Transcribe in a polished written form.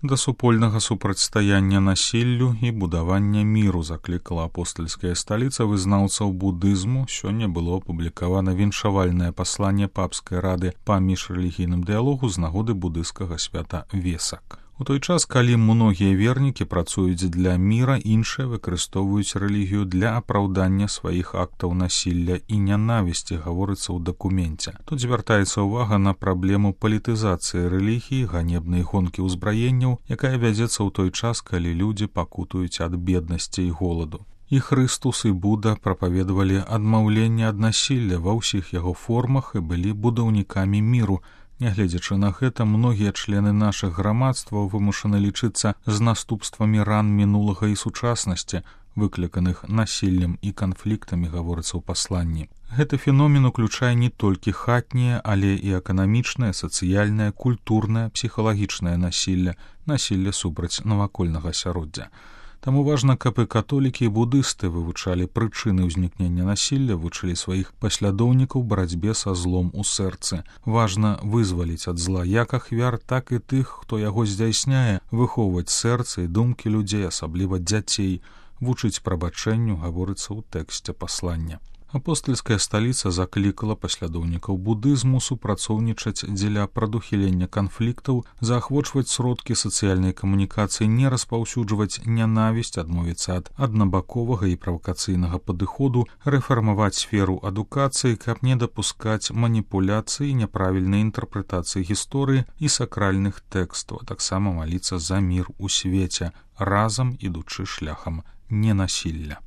Да супольнага супрацьстаяння насіллю і будавання міру заклікала апостальская сталіца вызнаўцаў будызму. Сёння было апублікавана віншавальнае пасланне папскай рады па міжрэлігійным дыялогу з нагоды будыйскага свята Весак. У той час, калі многія вернікі працуюць для міра, іншыя выкарыстоўваюць рэлігію для апраўдання сваіх актаў насілля і нянавісці, гаворыцца ў дакуменце. Тут звяртаецца ўвага на праблему палітызацыі рэлігіі, ганебнай гонкі ўзбраенняў, якая вядзецца ў той час, калі людзі пакутуюць ад беднасці і голаду. І Хрыстус, і Буда прапаведавалі адмаўленне ад насілля ва ўсіх яго формах і былі будаўнікамі міру. Нягледзячы на гэта, многія члены нашых грамадстваў вымушаны лічыцца з наступствамі ран мінулага і сучаснасці, выкліканых насіллем і канфліктамі, гаворыцца ў пасланні. Гэты феномен уключае не толькі хатняе, але і эканамічнае, сацыяльнае, культурнае, псіхалагічнае насілля, насілля супраць навакольнага асяроддзя. Таму важна, каб і католікі, і будысты вывучалі прычыны ўзнікнення насілля, вучылі сваіх паслядоўнікаў барацьбе са злом у сэрцы. Важна вызваліць ад зла як ахвяр, так і тых, хто яго здзяйсняе, выхоўваць сэрцы і думкі людзей, асабліва дзяцей, вучыць прабачэнню, гаворыцца ў тэксце паслання. Апостальская сталіца заклікала паслядоўнікаў будызму супрацоўнічаць дзеля прадухілення канфліктаў, заахвочваць сродкі сацыяльнай камунікацыі, не распаўсюджваць нянавісць, адмовіцца ад аднабаковага і правакацыйнага падыходу, рэфармаваць сферу адукацыі, каб не дапускаць маніпуляцыі, няправільнай інтэрпрэтацыі гісторыі і сакральных тэкстаў, а таксама маліцца за мір у свеце, разам ідучы шляхам ненасілля.